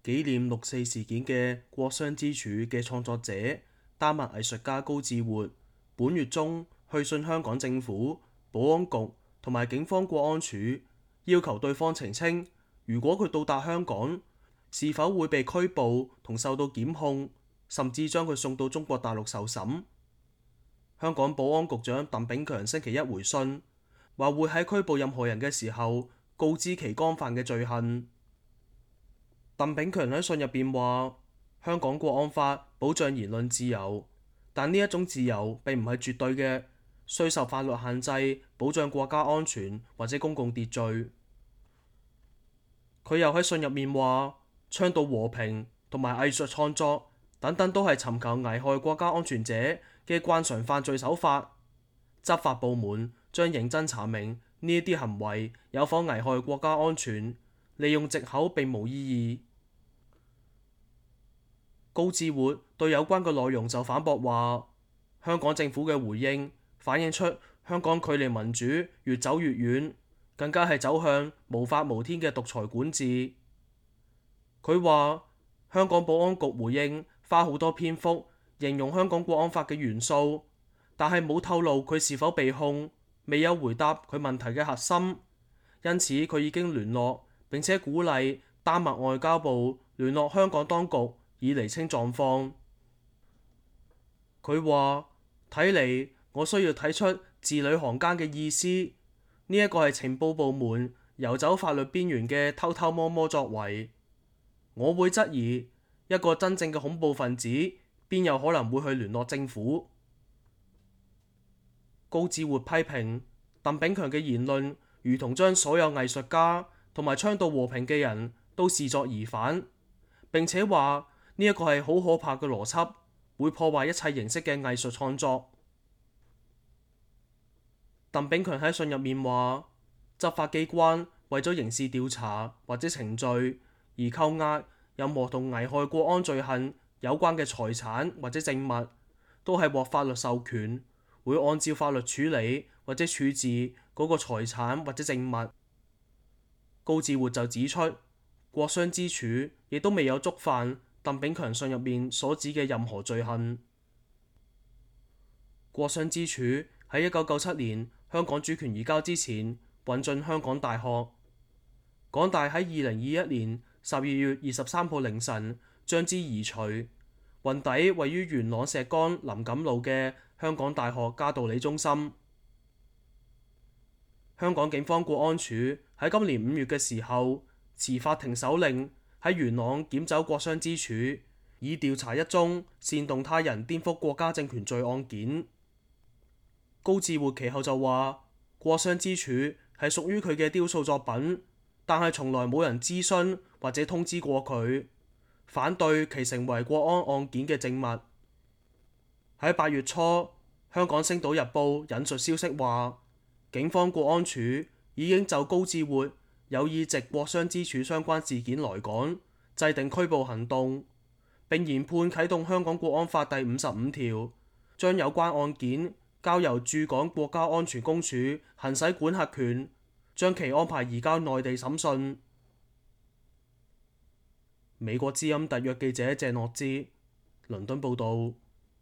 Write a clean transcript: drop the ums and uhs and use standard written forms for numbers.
紀念六四事件嘅國殤之柱嘅創作者丹麥藝術家高志活，本月中去信香港政府、保安局同埋警方國安處，要求對方澄清，如果佢到達香港，是否會被拘捕同受到檢控，甚至將佢送到中國大陸受審。香港保安局長鄧炳強星期一回信，話會喺拘捕任何人嘅時候告知其干犯嘅罪行。鄧炳強喺信入邊話，香港國安法保障言論自由，但呢一種自由並唔係絕對嘅，需受法律限制，保障國家安全或者公共秩序。佢又喺信入面話，倡導和平同埋藝術創作等等都係尋求危害國家安全者嘅慣常犯罪手法，執法部門將認真查明呢一啲行為有否危害國家安全，利用藉口並無意義。高志活對有關嘅內容就反駁話，香港政府嘅回應反映出香港距離民主越走越遠，更加係走向無法無天嘅獨裁管治。佢話香港保安局回應花好多篇幅形容香港國安法嘅元素，但係冇透露佢是否被控，未有回答佢問題嘅核心，因此佢已經聯絡並且鼓勵丹麥外交部聯絡香港當局以釐清狀況。佢話睇嚟我需要睇出字裏行間嘅意思，呢一個係情報部門遊走法律邊緣嘅偷偷摸摸作為。我會質疑一個真正嘅恐怖分子邊有可能會去聯絡政府。高志活批評鄧炳強嘅言論如同將所有藝術家同埋倡導和平嘅人都視作疑犯，並且話呢一個係好可怕嘅邏輯，會破壞一切形式嘅藝術創作。鄧炳強喺信入面話，執法機關為咗刑事調查或者程序而扣押任何同危害國安罪行有關嘅財產或者證物，都係獲法律授權，會按照法律處理或者處置嗰個財產或者證物。高志活就指出，國殤之柱亦都未有觸犯鄧炳強信入面所指嘅任何罪行。國殤之柱喺1997年香港主權移交之前運進香港大學，港大喺2021年12月23號凌晨將之移除，運抵位於元朗石崗林錦路嘅香港大學嘉道理中心。香港警方國安處喺今年5月嘅時候持法庭手令喺元朗檢走國殤之柱，以調查一宗煽動他人顛覆國家政權罪案件。高志活其後就話，國殤之柱係屬於佢嘅雕塑作品，但係從來冇人諮詢或者通知過佢，反對其成為國安案件嘅證物。喺8月初，香港星島日報引述消息話，警方國安處已經就高志活有意藉國殤之柱相關事件來港，制定拘捕行動，並研判啟動香港國安法第55條，將有關案件交由駐港國家安全公署行使管轄權，將其安排移交內地審訊。美國之音特約記者鄭樂之倫敦報導。